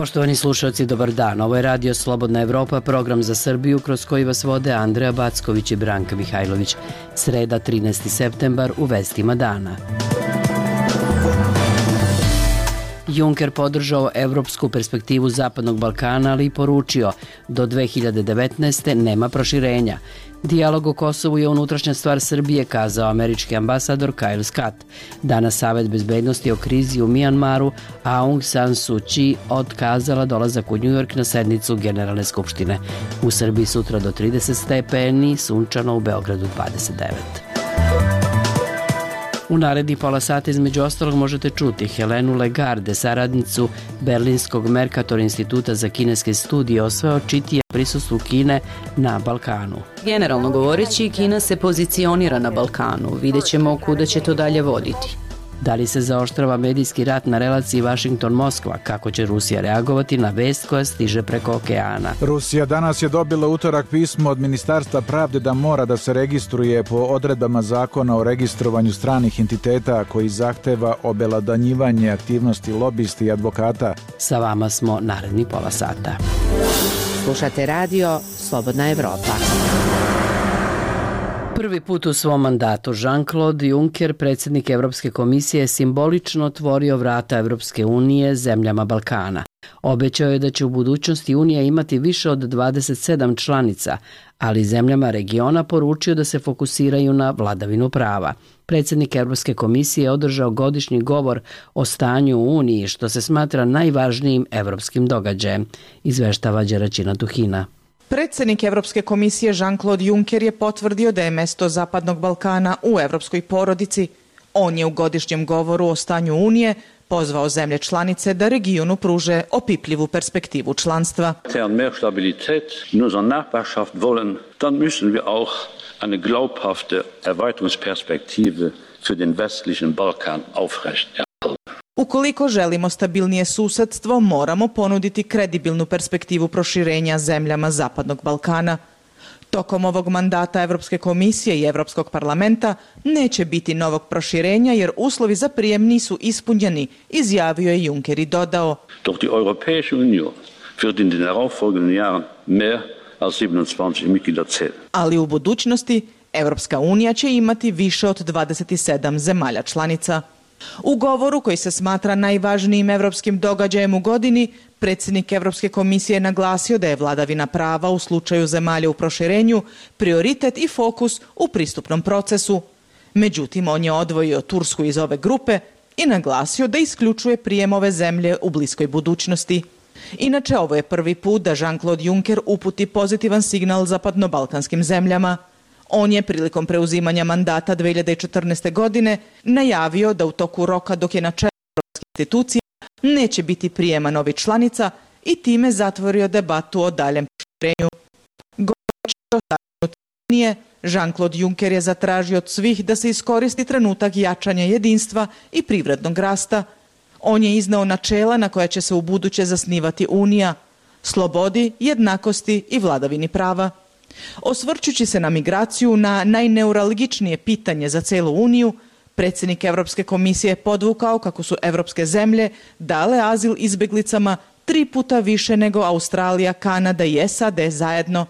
Poštovani slušalci, dobar dan. Ovo je Radio Slobodna Evropa, program za Srbiju kroz koji vas vode Andreja Backović i Branka Mihajlović. Sreda, 13. septembar, u vestima dana. Juncker podržao evropsku perspektivu Zapadnog Balkana, ali i poručio do 2019. nema proširenja. Dijalog o Kosovu je unutrašnja stvar Srbije, kazao američki ambasador Kyle Scott. Danas Savet bezbednosti o krizi u Mijanmaru, a Aung San Suu Kyi otkazala dolazak u Njujork na sednicu Generalne skupštine. U Srbiji sutra do 30 stepeni, sunčano, u Beogradu 29. U naredni pola sata između ostalog možete čuti Helenu Lagarde, saradnicu Berlinskog Mercator instituta za kineske studije, o sve očitije prisustvu Kine na Balkanu. Generalno govoreći, Kina se pozicionira na Balkanu. Vidjet ćemo kuda će to dalje voditi. Da li se zaoštrava medijski rat na relaciji Vašington-Moskva? Kako će Rusija reagovati na vest koja stiže preko okeana? Rusija danas je dobila utorak pismo od Ministarstva pravde da mora da se registruje po odredbama zakona o registrovanju stranih entiteta koji zahteva obelodanjivanje aktivnosti lobisti i advokata. Sa vama smo naredni pola sata. Slušate radio Slobodna Evropa. Prvi put u svom mandatu Jean-Claude Juncker, predsjednik Evropske komisije, simbolično otvorio vrata Evropske unije zemljama Balkana. Obećao je da će u budućnosti Unija imati više od 27 članica, ali zemljama regiona poručio da se fokusiraju na vladavinu prava. Predsjednik Evropske komisije je održao godišnji govor o stanju u Uniji, što se smatra najvažnijim evropskim događajem, izveštava Đeraćina Tuhina. Predsjednik Evropske komisije Jean-Claude Juncker je potvrdio da je mesto Zapadnog Balkana u evropskoj porodici. On je u godišnjem govoru o stanju Unije pozvao zemlje članice da regionu pruže opipljivu perspektivu članstva. Mehr Stabilität in unserer Nachbarschaft wollen, dann müssen wir auch eine glaubhafte Erweiterungsperspektive für den westlichen Balkan aufrechterhalten. Ukoliko želimo stabilnije susedstvo, moramo ponuditi kredibilnu perspektivu proširenja zemljama Zapadnog Balkana. Tokom ovog mandata Evropske komisije i Evropskog parlamenta neće biti novog proširenja jer uslovi za prijem nisu ispunjeni, izjavio je Juncker i dodao. Doch die Europäische Union wird in den darauffolgenden Jahren mehr als 27 Mitglieder zählen. Ali u budućnosti Evropska unija će imati više od 27 zemalja članica. U govoru koji se smatra najvažnijim evropskim događajem u godini, predsjednik Evropske komisije naglasio da je vladavina prava u slučaju zemalja u proširenju prioritet i fokus u pristupnom procesu. Međutim, on je odvojio Tursku iz ove grupe i naglasio da isključuje prijem ove zemlje u bliskoj budućnosti. Inače, ovo je prvi put da Jean-Claude Juncker uputi pozitivan signal zapadno-balkanskim zemljama. On je prilikom preuzimanja mandata 2014. godine najavio da u toku roka dok je na čelu evropskih institucija neće biti prijema novih članica i time zatvorio debatu o daljem proširenju. Govoreći o stanju Unije, Jean-Claude Juncker je zatražio od svih da se iskoristi trenutak jačanja jedinstva i privrednog rasta. On je izneo načela na koja će se ubuduće zasnivati Unija, slobodi, jednakosti i vladavini prava. Osvrćući se na migraciju, na najneuralgičnije pitanje za celu Uniju, predsjednik Evropske komisije je podvukao kako su evropske zemlje dale azil izbjeglicama 3 puta više nego Australija, Kanada i SAD zajedno.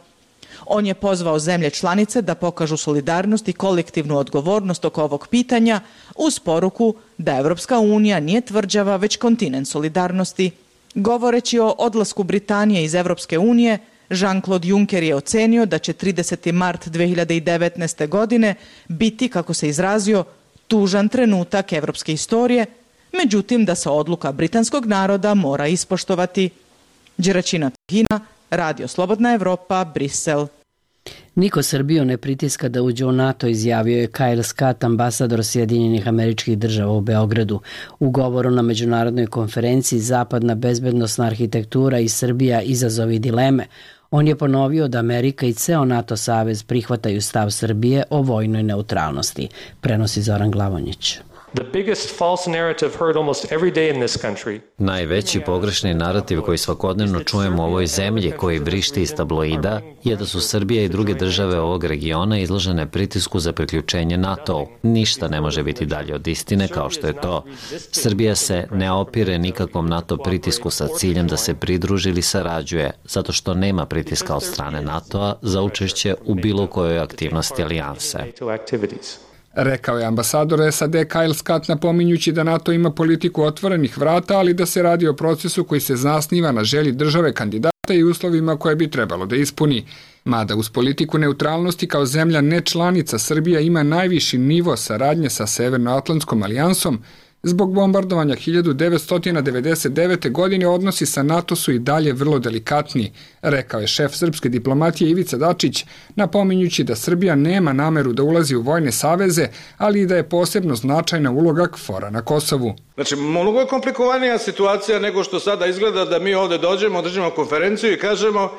On je pozvao zemlje članice da pokažu solidarnost i kolektivnu odgovornost oko ovog pitanja uz poruku da Evropska unija nije tvrđava već kontinent solidarnosti. Govoreći o odlasku Britanije iz Evropske unije, Jean-Claude Juncker je ocenio da će 30. mart 2019. godine biti, kako se izrazio, tužan trenutak evropske istorije, međutim da se odluka britanskog naroda mora ispoštovati. Đeraćina Tuhina, Radio Slobodna Evropa, Brisel. Niko Srbiju ne pritiska da uđe u NATO, izjavio je Kyle Scott, ambasador Sjedinjenih Američkih Država u Beogradu. U govoru na međunarodnoj konferenciji Zapadna bezbednosna arhitektura i Srbija izazovi dileme, on je ponovio da Amerika i ceo NATO savez prihvataju stav Srbije o vojnoj neutralnosti, prenosi Zoran Glavonjić. Najveći pogrešni narativ koji svakodnevno čujemo u ovoj zemlji, koji vrišti iz tabloida, je da su Srbija i druge države ovog regiona izložene pritisku za priključenje NATO-u. Ništa ne može biti dalje od istine kao što je to. Srbija se ne opire nikakvom NATO pritisku sa ciljem da se pridruži ili sarađuje, zato što nema pritiska od strane NATO-a za učešće u bilo kojoj aktivnosti alijanse. Rekao je ambasador SAD Kyle Scott, napominjući da NATO ima politiku otvorenih vrata, ali da se radi o procesu koji se zasniva na želji države kandidata i uslovima koje bi trebalo da ispuni. Mada uz politiku neutralnosti kao zemlja nečlanica Srbija ima najviši nivo saradnje sa Severnoatlantskom alijansom, zbog bombardovanja 1999. godine odnosi sa NATO su i dalje vrlo delikatni, rekao je šef srpske diplomatije Ivica Dačić, napominjući da Srbija nema nameru da ulazi u vojne saveze, ali i da je posebno značajna uloga KFOR-a na Kosovu. Znači, mnogo je komplikovanija situacija nego što sada izgleda da mi ovde dođemo, držimo konferenciju i kažemo,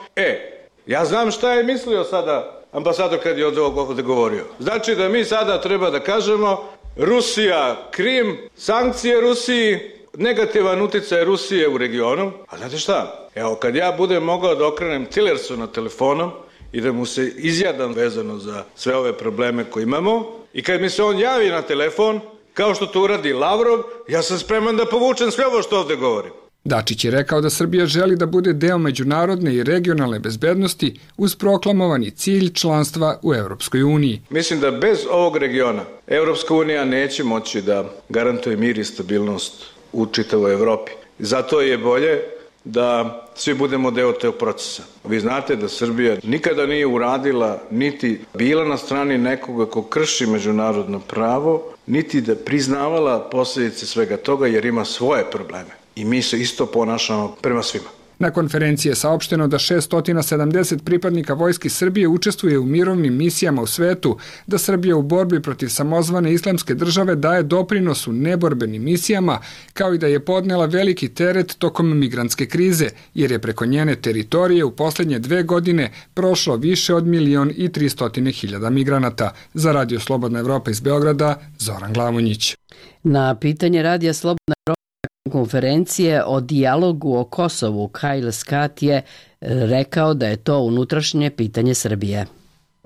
ja znam šta je mislio sada ambasador kad je ovde govorio. Znači da mi sada treba da kažemo Rusija, Krim, sankcije Rusiji, negativan uticaj Rusije u regionu. A znate šta? Evo, kad ja budem mogao da okrenem Tillersona telefonom i da mu se izjadam vezano za sve ove probleme koje imamo, i kad mi se on javi na telefon, kao što to uradi Lavrov, ja sam spreman da povučem sve ovo što ovde govorim. Dačić je rekao da Srbija želi da bude deo međunarodne i regionalne bezbednosti uz proklamovani cilj članstva u Evropskoj uniji. Mislim da bez ovog regiona Evropska unija neće moći da garantuje mir i stabilnost u čitavoj Evropi. Zato je bolje da svi budemo deo tog procesa. Vi znate da Srbija nikada nije uradila, niti bila na strani nekoga ko krši međunarodno pravo, niti da priznavala posljedice svega toga jer ima svoje probleme. I mi se isto ponašamo prema svima. Na konferenciji je saopšteno da 670 pripadnika Vojske Srbije učestvuje u mirovnim misijama u svetu, da Srbija u borbi protiv samozvane islamske države daje doprinos u neborbenim misijama, kao i da je podnela veliki teret tokom migrantske krize, jer je preko njene teritorije u poslednje 2 godine prošlo više od 1.300.000 migranata. Za Radio Slobodna Evropa iz Beograda, Zoran Glavonjić. Na pitanje Radija Slobodna Evropa konferencije o dijalogu o Kosovu, Kyle Scott je rekao da je to unutrašnje pitanje Srbije.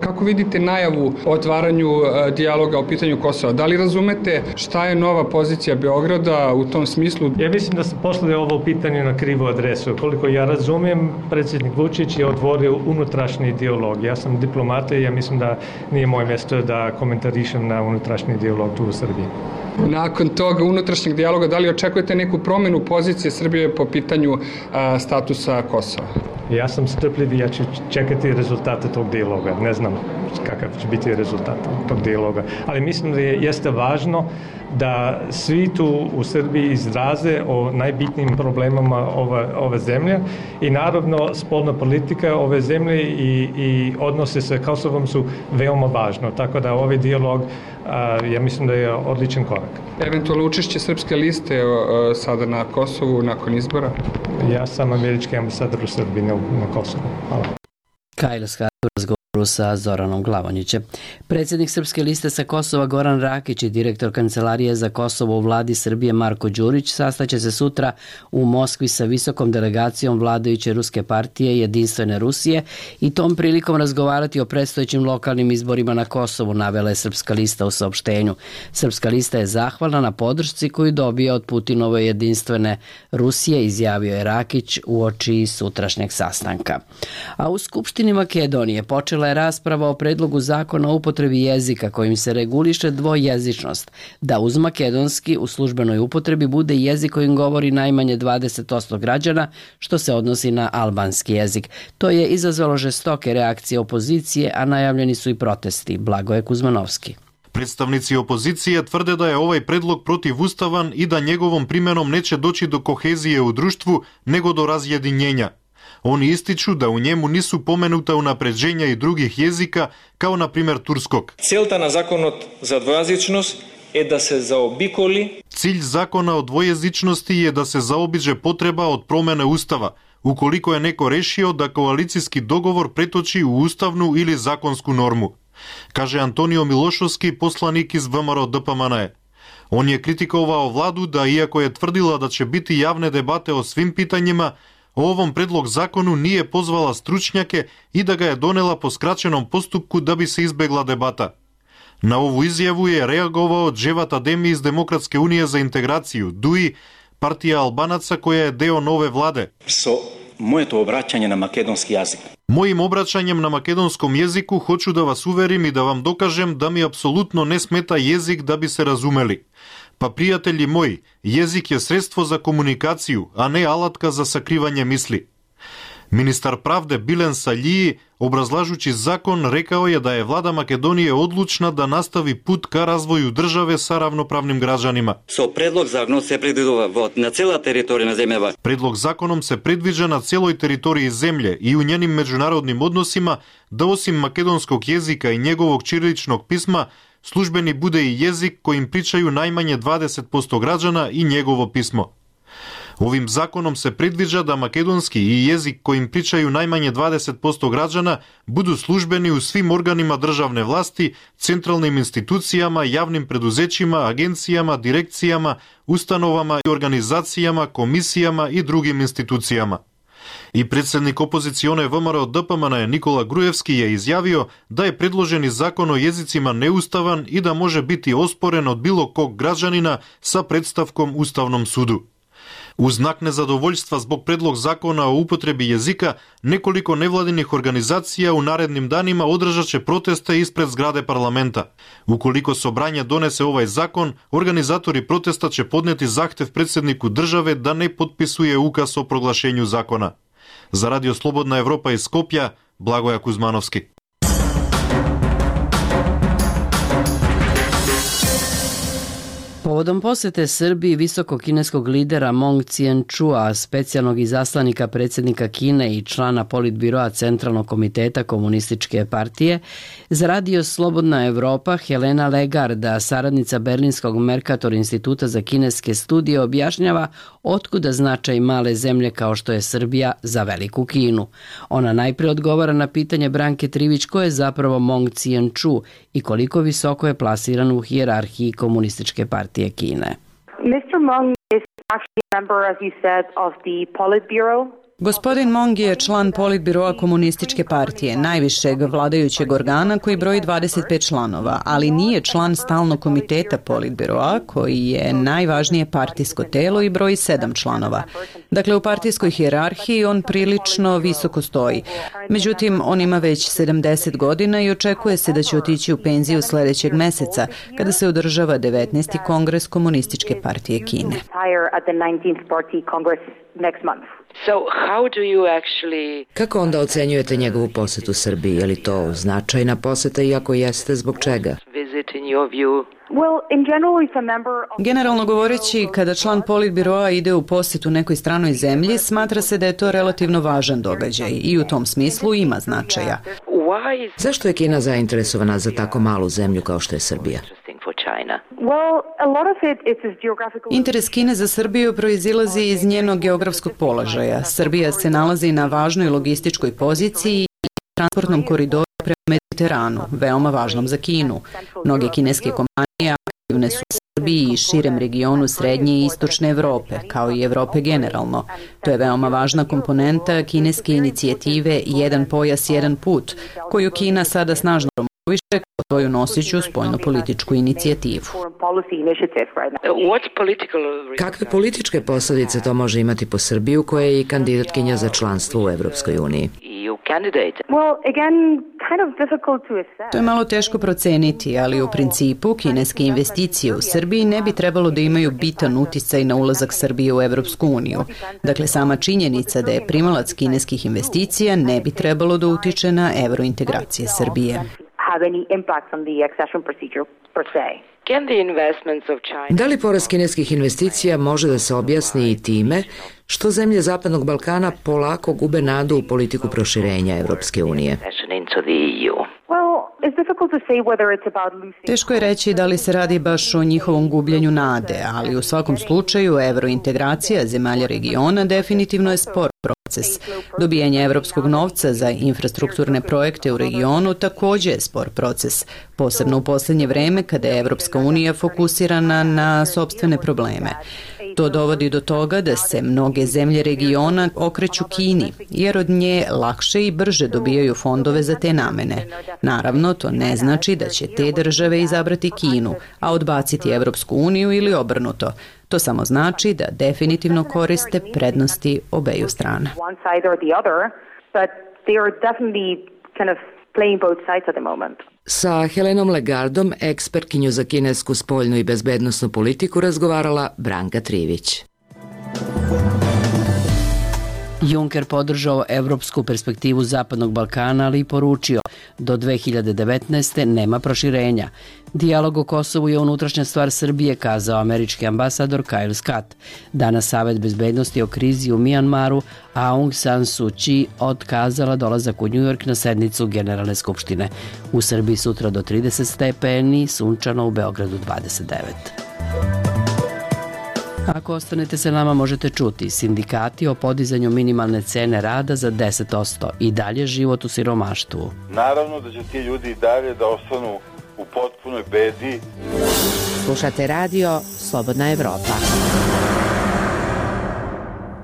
Kako vidite najavu o otvaranju dijaloga o pitanju Kosova? Da li razumete šta je nova pozicija Beograda u tom smislu? Ja mislim da ste poslali ovo pitanje na krivu adresu. Koliko ja razumijem, predsjednik Vučić je otvorio unutrašnji dijalog. Ja sam diplomata i ja mislim da nije moje mjesto da komentarišem na unutrašnji dijalog tu u Srbiji. Nakon toga unutrašnjeg dijaloga, da li očekujete neku promjenu pozicije Srbije po pitanju statusa Kosova? Ja sam strpljiv i ja ću čekati rezultate tog dijaloga. Ne znam kakav će biti rezultat tog dijaloga. Ali mislim da jeste važno da svi tu u Srbiji izraze o najbitnijim problemama ove zemlje i naravno spoljna politika ove zemlje i odnose sa Kosovom su veoma važno. Tako da ovaj dijalog ja mislim da je odličan korak. Eventualno učešće srpske liste sada na Kosovu nakon izbora? Ja sam američki ambasador u Srbiji na Kosovu. Hvala. Kyle Scott u razgovoru sa Zoranom Glavonjićem. Predsjednik Srpske liste sa Kosova Goran Rakić i direktor Kancelarije za Kosovo u vladi Srbije Marko Đurić sastaće se sutra u Moskvi sa visokom delegacijom vladajuće ruske partije Jedinstvene Rusije i tom prilikom razgovarati o predstojećim lokalnim izborima na Kosovu, navela je Srpska lista u saopštenju. Srpska lista je zahvalna na podršci koju dobija od Putinove Jedinstvene Rusije, izjavio je Rakić uoči sutrašnjeg sastanka. A u Skupštini Makedonije počela je rasprava o predlogu zakona o upotrebi jezika kojim se reguliše dvojezičnost, da uz makedonski u službenoj upotrebi bude jezik kojim govori najmanje 20% građana, što se odnosi na albanski jezik. To je izazvalo žestoke reakcije opozicije, a najavljeni su i protesti. Blagoje Kuzmanovski. Predstavnici opozicije tvrde da je ovaj predlog protivustavan i da njegovom primjenom neće doći do kohezije u društvu, nego do razjedinjenja. Oni ističu da u njemu nisu pomenuta unapređenja i drugih jezika, kao na primjer turskog. Целта на законот за двојазичност е да се заобиколи. Cilj zakona o dvojezičnosti je da se zaobiđe potreba od promene ustava, ukoliko je neko rešio da koalicijski dogovor pretoči u ustavnu ili zakonsku normu, kaže Antonio Milošovski, poslanik iz VMRO DPMNE. On je kritikovao vladu da, iako je tvrdila da će biti javne debate o svim pitanjima, o ovom predlog zakonu nije pozvala stručnjake i da ga je donela po skraćenom postupku da bi se izbegla debata. Na ovu izjavu je reagovao Dževat Ademi iz Demokratske unije za integraciju, DUI, partija Albanaca koja je deo nove vlade. Moje to obraćanje na makedonski jezik. Mojim obraćanjem na makedonskom jeziku hoću da vas uverim i da vam dokažem da mi apsolutno ne smeta jezik da bi se razumeli. Pa prijatelji moji, jezik je sredstvo za komunikaciju, a ne alatka za sakrivanje misli. Ministar pravde Bilen Saljiji, obrazlažući zakon, rekao je da je vlada Makedonije odlučna da nastavi put ka razvoju države sa ravnopravnim građanima. Predlog zakonom se predvidува na cela teritorija na zemlje. Predlog zakonom se predviđa na celoj teritoriji zemlje i u njenim međunarodnim odnosima da osim makedonskog jezika i njegovog ćiriličnog pisma, službeni bude i jezik kojim pričaju najmanje 20% građana i njegovo pismo. Ovim zakonom se predviđa da makedonski i jezik kojim pričaju najmanje 20% građana budu službeni u svim organima državne vlasti, centralnim institucijama, javnim preduzećima, agencijama, direkcijama, ustanovama i organizacijama, komisijama i drugim institucijama. I predsednik opozicione VMRO DPMN Nikola Grujevski je izjavio da je predloženi zakon o jezicima neustavan i da može biti osporen od bilo kog građanina sa predstavkom Ustavnom sudu. U znak nezadovoljstva zbog predlog zakona o upotrebi jezika, nekoliko nevladinih organizacija u narednim danima održat će proteste ispred zgrade parlamenta. Ukoliko Sobranje donese ovaj zakon, organizatori protesta će podneti zahtev predsedniku države da ne potpisuje ukaz o proglašenju zakona. Za Radio Slobodna Evropa iz Skopja, Blagoja Kuzmanovski. Povodom posete Srbiji visokog kineskog lidera Mong Cijen-čua, specijalnog izaslanika predsjednika Kine i člana politbiroa Centralnog komiteta Komunističke partije, za Radio Slobodna Evropa Helena Legarda, saradnica Berlinskog Mercator instituta za kineske studije, objašnjava otkuda značaj male zemlje kao što je Srbija za veliku Kinu. Ona najprije odgovara na pitanje Branke Trivić ko je zapravo Mong Cijen-ču i koliko visoko je plasiran u hijerarhiji Komunističke partije Kine. Mr. Meng is actually a member, as you said, of the Politburo. Gospodin Mong je član politbiroa Komunističke partije, najvišeg vladajućeg organa koji broji 25 članova, ali nije član stalnog komiteta politbiroa koji je najvažnije partijsko telo i broji 7 članova. Dakle, u partijskoj hijerarhiji on prilično visoko stoji. Međutim, on ima već 70 godina i očekuje se da će otići u penziju sledećeg meseca, kada se održava 19. kongres Komunističke partije Kine. Kako onda ocenjujete njegovu posetu Srbiji? Je li to značajna poseta i ako jeste, zbog čega? Generalno govoreći, kada član politbiroa ide u posetu nekoj stranoj zemlji, smatra se da je to relativno važan događaj i u tom smislu ima značaja. Zašto je Kina zainteresovana za tako malu zemlju kao što je Srbija? Interes Kine za Srbiju proizilazi iz njenog geografskog položaja. Srbija se nalazi na važnoj logističkoj poziciji i transportnom koridoru prema Mediteranu, veoma važnom za Kinu. Mnoge kineske kompanije aktivne su u Srbiji i širem regionu Srednje i Istočne Evrope, kao i Evrope generalno. To je veoma važna komponenta kineske inicijative Jedan pojas, jedan put, koju Kina sada snažno promoviše kao svoju nosiću spoljnopolitičku inicijativu. Kakve političke posledice to može imati po Srbiju koja je i kandidatkinja za članstvo u Evropskoj uniji? To je malo teško proceniti, ali u principu kineske investicije u Srbiji ne bi trebalo da imaju bitan uticaj na ulazak Srbije u Evropsku uniju. Dakle, sama činjenica da je primalac kineskih investicija ne bi trebalo da utiče na evrointegracije Srbije. Da li porast kineskih investicija može da se objasni i time Što zemlje Zapadnog Balkana polako gube nadu u politiku proširenja Evropske unije. Teško je reći da li se radi baš o njihovom gubljenju nade, ali u svakom slučaju evrointegracija zemalja regiona definitivno je spor proces. Dobijanje evropskog novca za infrastrukturne projekte u regionu takođe je spor proces, posebno u poslednje vreme kada je Evropska unija fokusirana na sopstvene probleme. To dovodi do toga da se mnoge zemlje regiona okreću Kini, jer od nje lakše i brže dobijaju fondove za te namene. Naravno, to ne znači da će te države izabrati Kinu, a odbaciti Evropsku uniju ili obrnuto. To samo znači da definitivno koriste prednosti obeju strana. Sa Helenom Legardom, ekspertkinju za kinesku spoljnu i bezbednosnu politiku, razgovarala Branka Trivić. Juncker podržao evropsku perspektivu Zapadnog Balkana, ali i poručio do 2019. nema proširenja. Dijalog o Kosovu je unutrašnja stvar Srbije, kazao američki ambasador Kyle Scott. Danas Savet bezbednosti o krizi u Mijanmaru, a Aung San Suu Kyi otkazala dolazak u Njujork na sednicu Generalne skupštine. U Srbiji sutra do 30 stepeni, sunčano, u Beogradu 29. Ako ostanete sa nama, možete čuti sindikati o podizanju minimalne cene rada za 10%, i dalje život u siromaštvu. Naravno da će ti ljudi i dalje da ostanu u potpunoj bedi. Slušate radio Slobodna Evropa.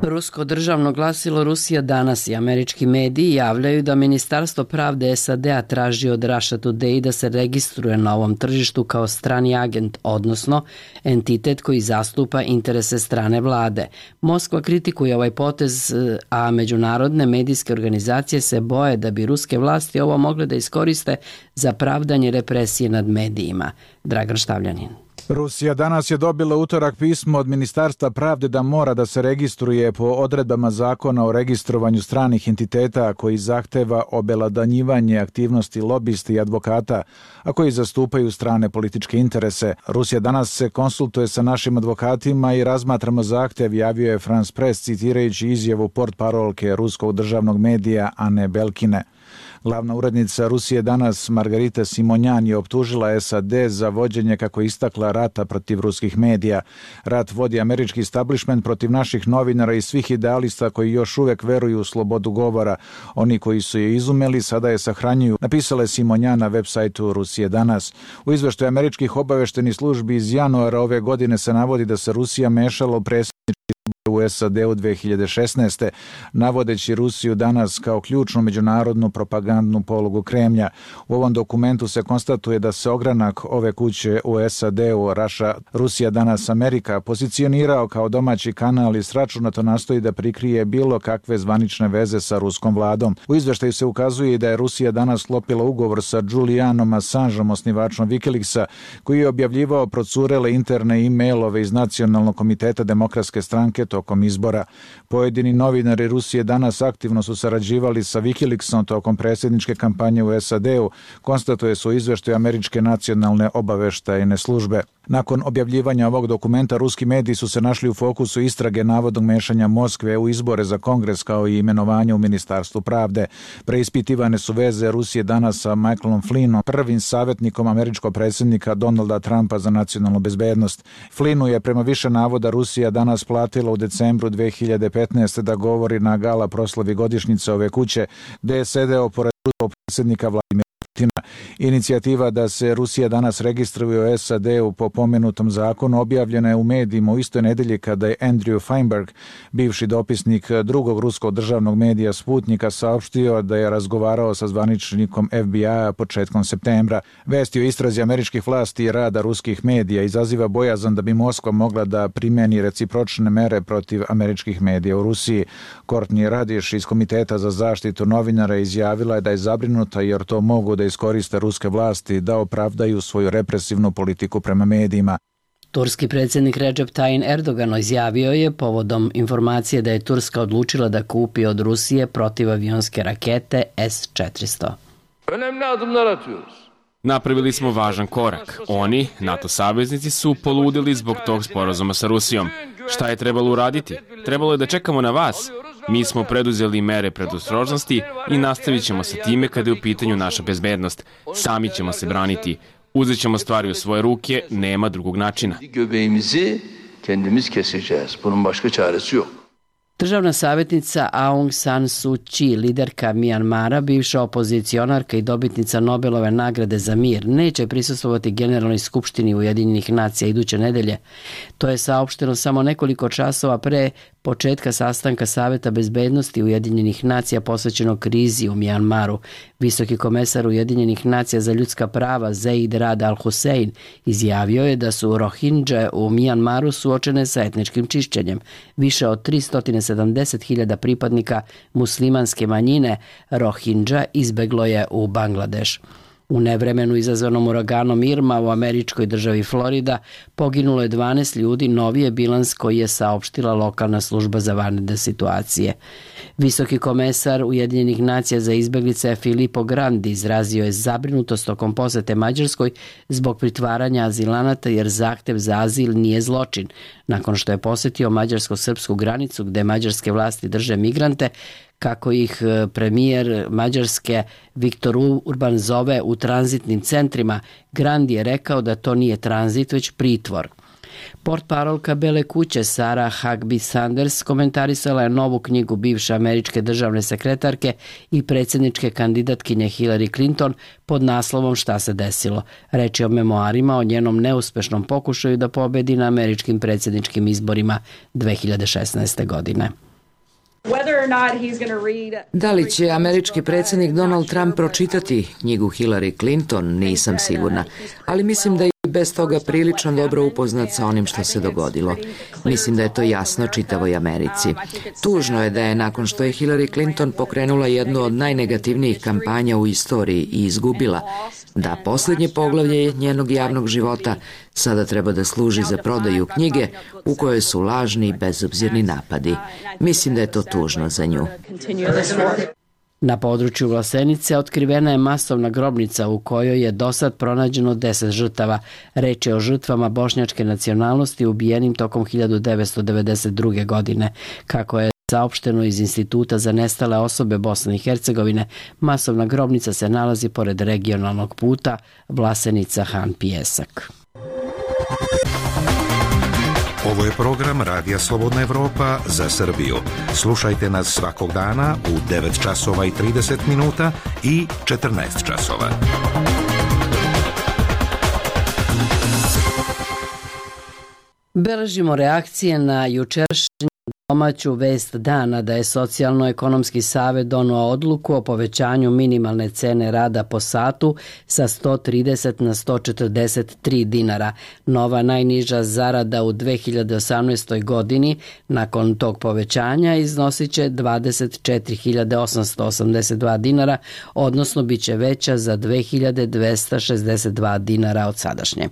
Rusko državno glasilo Rusija danas i američki mediji javljaju da Ministarstvo pravde SAD-a traži od Russia Today da se registruje na ovom tržištu kao strani agent, odnosno entitet koji zastupa interese strane vlade. Moskva kritikuje ovaj potez, a međunarodne medijske organizacije se boje da bi ruske vlasti ovo mogle da iskoriste za pravdanje represije nad medijima. Dragan Štavljanin. Rusija danas je dobila utorak pismo od Ministarstva pravde da mora da se registruje po odredbama zakona o registrovanju stranih entiteta koji zahteva obelodanjivanje aktivnosti lobisti i advokata, a koji zastupaju strane političke interese. Rusija danas se konsultuje sa našim advokatima i razmatramo zahtev, javio je France Press citirajući izjavu portparolke ruskog državnog medija Ane Belkine. Glavna urednica Rusije danas, Margarita Simonjan, je optužila SAD za vođenje, kako istakla, rata protiv ruskih medija. Rat vodi američki establishment protiv naših novinara i svih idealista koji još uvek veruju u slobodu govora. Oni koji su je izumeli sada je sahranjuju, napisala je Simonjan na web sajtu Rusije danas. U izveštaju američkih obaveštenih službi iz januara ove godine se navodi da se Rusija mešala u predsjednički u SAD-u 2016. navodeći Rusiju danas kao ključnu međunarodnu propagandnu polugu Kremlja. U ovom dokumentu se konstatuje da se ogranak ove kuće u SAD-u, Rusija danas Amerika, pozicionirao kao domaći kanal i sračunato nastoji da prikrije bilo kakve zvanične veze sa ruskom vladom. U izveštaju se ukazuje da je Rusija danas sklopila ugovor sa Julianom Assangeom, osnivačom Wikileaksa, koji je objavljivao procurele interne e-mailove iz Nacionalnog komiteta Demokratske stranke tokom izbora. Pojedini novinari Rusije danas aktivno su sarađivali sa Wikileaksom tokom predsjedničke kampanje u SAD-u, konstatuje se u izveštaju američke nacionalne obaveštajne službe. Nakon objavljivanja ovog dokumenta, ruski mediji su se našli u fokusu istrage navodnog mešanja Moskve u izbore za Kongres kao i imenovanje u Ministarstvu pravde. Preispitivane su veze Rusije danas sa Michaelom Flynnom, prvim savjetnikom američkog predsjednika Donalda Trumpa za nacionalnu bezbednost. Flynnu je prema više navoda Rusija danas platila u decembru 2015. da govori na gala proslavi godišnjice ove kuće, gde je sedeo pored ruskog predsjednika Vladimira Putina. Inicijativa da se Rusija danas registruje u SAD-u po pomenutom zakonu objavljena je u medijima u istoj nedelji kada je Andrew Feinberg, bivši dopisnik drugog ruskog državnog medija Sputnika, saopštio da je razgovarao sa zvaničnikom FBI-a početkom septembra. Vesti o istrazi američkih vlasti i rada ruskih medija izaziva bojazan da bi Moskva mogla da primeni recipročne mere protiv američkih medija u Rusiji. Courtney Radish iz Komiteta za zaštitu novinara izjavila je da je zabrinuta jer to mogu da iskoriste ruske vlasti da opravdaju svoju represivnu politiku prema medijima. Turski predsjednik Recep Tayyip Erdogan izjavio je povodom informacije da je Turska odlučila da kupi od Rusije protivavionske rakete S-400. Napravili smo važan korak. Oni, NATO saveznici, su poludili zbog tog sporazuma sa Rusijom. Šta je trebalo uraditi? Trebalo je da čekamo na vas. Mi smo preduzeli mere predostrožnosti i nastavit ćemo sa time kada je u pitanju naša bezbednost. Sami ćemo se braniti. Uzet ćemo stvari u svoje ruke, nema drugog načina. Državna savjetnica Aung San Suu Kyi, liderka Mijanmara, bivša opozicionarka i dobitnica Nobelove nagrade za mir, neće prisustvovati Generalnoj skupštini Ujedinjenih nacija iduće nedelje. To je saopšteno samo nekoliko časova pre početka sastanka Saveta bezbednosti Ujedinjenih nacija posvećenog krizi u Mijanmaru. Visoki komesar Ujedinjenih nacija za ljudska prava Zeid Rad Al-Hussein izjavio je da su Rohingje u Mijanmaru suočene sa etničkim čišćenjem. Više od 370.000 pripadnika muslimanske manjine Rohingja izbeglo je u Bangladeš. U nevremenu izazvanom uraganom Irma u američkoj državi Florida poginulo je 12 ljudi, novi je bilans koji je saopštila lokalna služba za vanredne situacije. Visoki komesar Ujedinjenih nacija za izbeglice Filippo Grandi izrazio je zabrinutost tokom posete Mađarskoj zbog pritvaranja azilanata jer zahtev za azil nije zločin. Nakon što je posetio mađarsko-srpsku granicu gde mađarske vlasti drže migrante, kako ih premijer Mađarske Viktor Urban zove u tranzitnim centrima, Grandi je rekao da to nije tranzit, već pritvor. Portparolka Bele kuće Sarah Huckabee Sanders komentarisala je novu knjigu bivše američke državne sekretarke i predsjedničke kandidatkinje Hillary Clinton pod naslovom Šta se desilo. Reč je o memoarima o njenom neuspešnom pokušaju da pobedi na američkim predsjedničkim izborima 2016. godine. Da li će američki predsjednik Donald Trump pročitati knjigu Hillary Clinton, nisam sigurna, ali mislim da je bez toga prilično dobro upoznat sa onim što se dogodilo. Mislim da je to jasno čitavoj Americi. Tužno je da je nakon što je Hillary Clinton pokrenula jednu od najnegativnijih kampanja u istoriji i izgubila, da posljednje poglavlje njenog javnog života sada treba da služi za prodaju knjige u kojoj su lažni i bezobzirni napadi. Mislim da je to tužno za nju. Na području Vlasenice otkrivena je masovna grobnica u kojoj je dosad pronađeno 10 žrtava. Reč je o žrtvama bošnjačke nacionalnosti ubijenim tokom 1992. godine. Kako je saopšteno iz Instituta za nestale osobe Bosne i Hercegovine, masovna grobnica se nalazi pored regionalnog puta Vlasenica-Han Pijesak. Ovo je program Radija Slobodna Evropa za Srbiju. Slušajte nas svakog dana u 9 časova i 30 minuta i 14 časova. Beležimo reakcije na jučerašnji domaću vest dana da je Socijalno-ekonomski savet doneo odluku o povećanju minimalne cene rada po satu sa 130 na 143 dinara. Nova najniža zarada u 2018. godini nakon tog povećanja iznosit će 24.882 dinara, odnosno bit će veća za 2.262 dinara od sadašnje.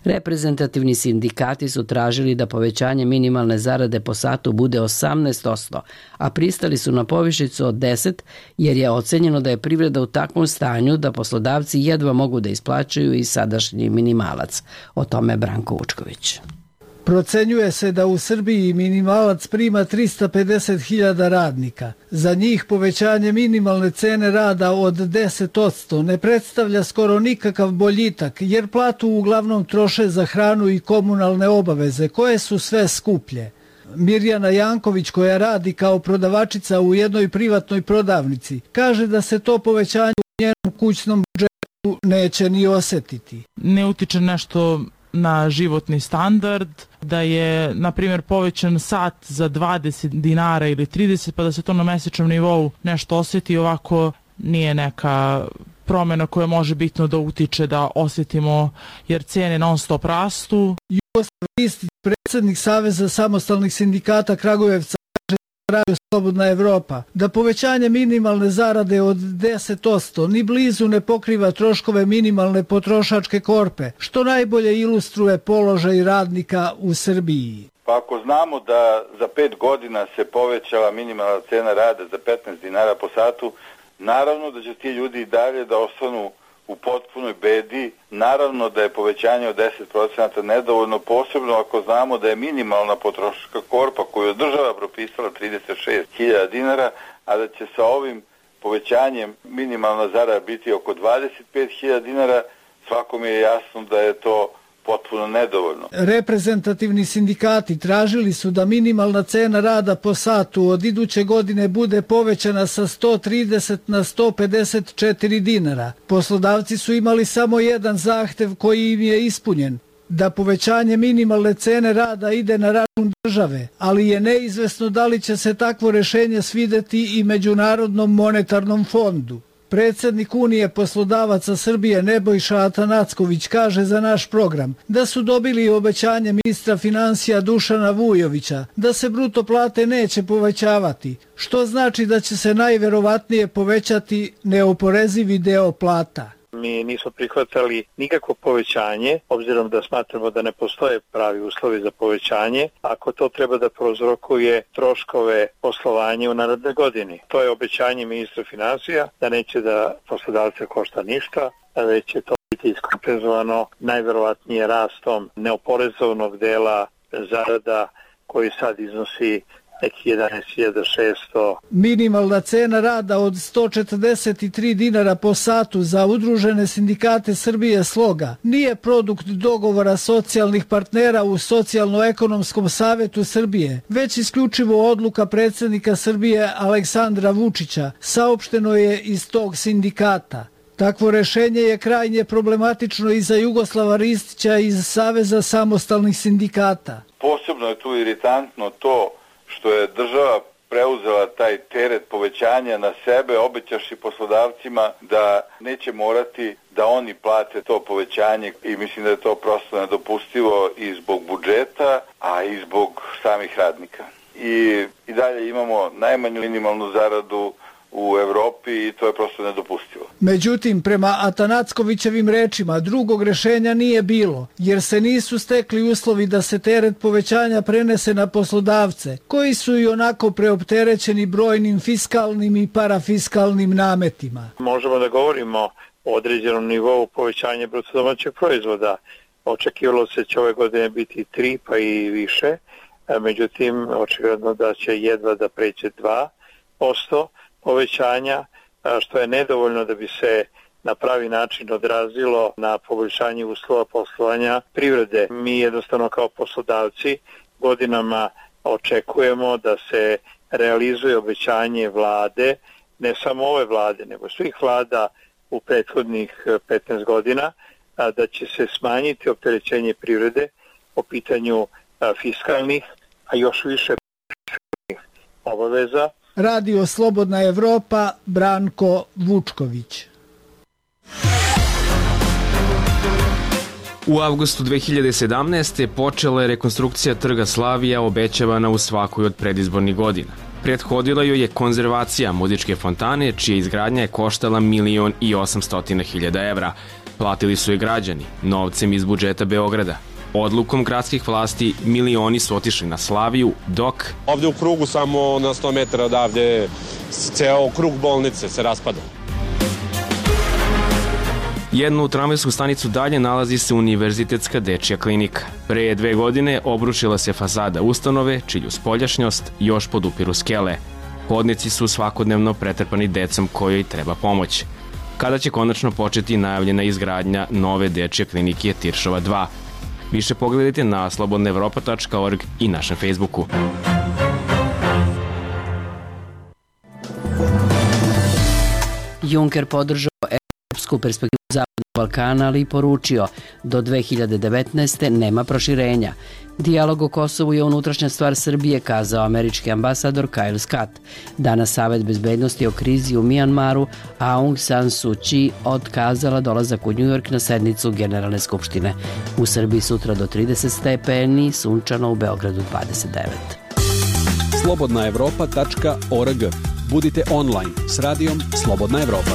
Reprezentativni sindikati su tražili da povećanje minimalne zarade po satu bude 18%, a pristali su na povišicu od 10% jer je ocenjeno da je privreda u takvom stanju da poslodavci jedva mogu da isplaćuju i sadašnji minimalac. O tome Branko Vučković. Procenjuje se da u Srbiji minimalac prima 350.000 radnika. Za njih povećanje minimalne cene rada od 10% ne predstavlja skoro nikakav boljitak, jer platu uglavnom troše za hranu i komunalne obaveze, koje su sve skuplje. Mirjana Janković, koja radi kao prodavačica u jednoj privatnoj prodavnici, kaže da se to povećanje u njenom kućnom budžetu neće ni osjetiti. Ne utiče nešto na životni standard, da je, na primjer, povećan sat za 20 dinara ili 30, pa da se to na mesečnom nivou nešto osjeti, ovako nije neka promjena koja može bitno da utiče da osjetimo, jer cijene non stop rastu. Jugoslav Ristić, predsjednik Saveza samostalnih sindikata Kragujevca, kaže Radio Slobodna Evropa da povećanje minimalne zarade od 10% ni blizu ne pokriva troškove minimalne potrošačke korpe, što najbolje ilustruje položaj radnika u Srbiji. Pa ako znamo da za 5 godina se povećala minimalna cena rada za 15 dinara po satu, naravno da će ti ljudi i dalje da ostanu u potpunoj bedi. Naravno da je povećanje od 10% nedovoljno, posebno ako znamo da je minimalna potrošačka korpa koju je država propisala 36.000 dinara, a da će sa ovim povećanjem minimalna zarada biti oko 25.000 dinara, svakom je jasno da je to potpuno nedovoljno. Reprezentativni sindikati tražili su da minimalna cena rada po satu od iduće godine bude povećana sa 130 na 154 dinara. Poslodavci su imali samo jedan zahtev koji im je ispunjen, da povećanje minimalne cene rada ide na račun države, ali je neizvesno da li će se takvo rešenje svideti i Međunarodnom monetarnom fondu. Predsjednik Unije poslodavaca Srbije Nebojša Atanacković kaže za naš program da su dobili obećanje ministra financija Dušana Vujovića da se bruto plate neće povećavati, što znači da će se najverovatnije povećati neoporezivi deo plata. Mi nismo prihvatali nikakvo povećanje, obzirom da smatramo da ne postoje pravi uslovi za povećanje, ako to treba da prouzrokuje troškove poslovanja u narednoj godini. To je obećanje ministra financija da neće da poslodavce košta ništa, a već će to biti iskompenzovano najverovatnije rastom neoporezovnog dela zarada koji sad iznosi neki 11.600. Minimalna cena rada od 143 dinara po satu za udružene sindikate Srbije Sloga nije produkt dogovora socijalnih partnera u Socijalno-ekonomskom savetu Srbije, već isključivo odluka predsjednika Srbije Aleksandra Vučića, saopšteno je iz tog sindikata. Takvo rešenje je krajnje problematično i za Jugoslava Ristića iz Saveza samostalnih sindikata. Posebno je tu iritantno to što je država preuzela taj teret povećanja na sebe, obećaši poslodavcima da neće morati da oni plate to povećanje i mislim da je to prosto nedopustivo i zbog budžeta, a i zbog samih radnika. I dalje imamo najmanju minimalnu zaradu u Evropi i to je prosto nedopustivo. Međutim, prema Atanackovićevim rečima, drugog rešenja nije bilo, jer se nisu stekli uslovi da se teret povećanja prenese na poslodavce, koji su i onako preopterećeni brojnim fiskalnim i parafiskalnim nametima. Možemo da govorimo o određenom nivou povećanja bruto domaćeg proizvoda. Očekivalo se će ove godine biti 3 pa i više, međutim, očigledno da će jedva da pređe 2% povećanja, što je nedovoljno da bi se na pravi način odrazilo na poboljšanje uslova poslovanja privrede. Mi jednostavno kao poslodavci godinama očekujemo da se realizuje obećanje vlade, ne samo ove vlade, nego svih vlada u prethodnih 15 godina, da će se smanjiti opterećenje privrede po pitanju fiskalnih, a još više obaveza. Radio Slobodna Evropa, Branko Vučković. U avgustu 2017. počela je rekonstrukcija trga Slavija obećavana u svakoj od predizbornih godina. Prethodila joj je konzervacija muzičke fontane, čija izgradnja je koštala 1.800.000 evra. Platili su je građani, novcem iz budžeta Beograda. Odlukom gradskih vlasti milioni su otišli na Slaviju, dok... Ovde u krugu, samo na 100 metara odavde, ceo krug bolnice se raspada. Jednu tramvajsku stanicu dalje nalazi se Univerzitetska dečija klinika. Pre 2 godine obrušila se fasada ustanove, čiju spoljašnjost još podupiru skele. Hodnici su svakodnevno pretrpani decom kojoj treba pomoć. Kada će konačno početi najavljena izgradnja nove dečije klinike Tiršova 2? Više pogledajte na slobodnaevropa.org i našem Facebooku. Juncker podržao evropsku perspektivu Zapadnog Balkana, ali i poručio do 2019. nema proširenja. Dijalog o Kosovu je unutrašnja stvar Srbije, kazao američki ambasador Kyle Scott. Danas Savet bezbednosti o krizi u Mijanmaru, a Aung San Suu Kyi otkazala dolazak u Njujork na sednicu Generalne skupštine. U Srbiji sutra do 30 stepeni, sunčano, u Beogradu 29. Slobodnaevropa.org. Budite online s radijom Slobodna Evropa.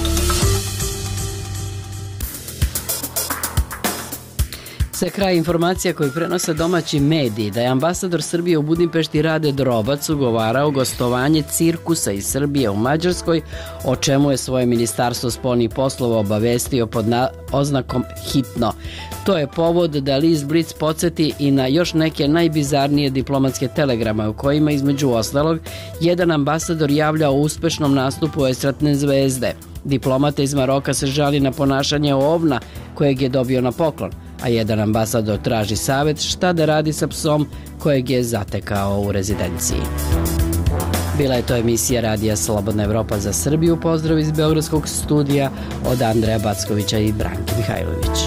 Sve kraj informacija koji prenose domaći mediji da je ambasador Srbije u Budimpešti Rade Drobac ugovarao gostovanje cirkusa iz Srbije u Mađarskoj, o čemu je svoje ministarstvo spoljnih poslova obavestio pod oznakom hitno. To je povod da list Blic podsjeti i na još neke najbizarnije diplomatske telegrame u kojima između ostalog jedan ambasador javlja o uspešnom nastupu estradne zvezde. Diplomata iz Maroka se žali na ponašanje ovna kojeg je dobio na poklon, a jedan ambasador traži savjet šta da radi sa psom kojeg je zatekao u rezidenciji. Bila je to emisija Radija Slobodna Evropa za Srbiju. Pozdrav iz Beogradskog studija od Andreja Backovića i Branke Mihajlović.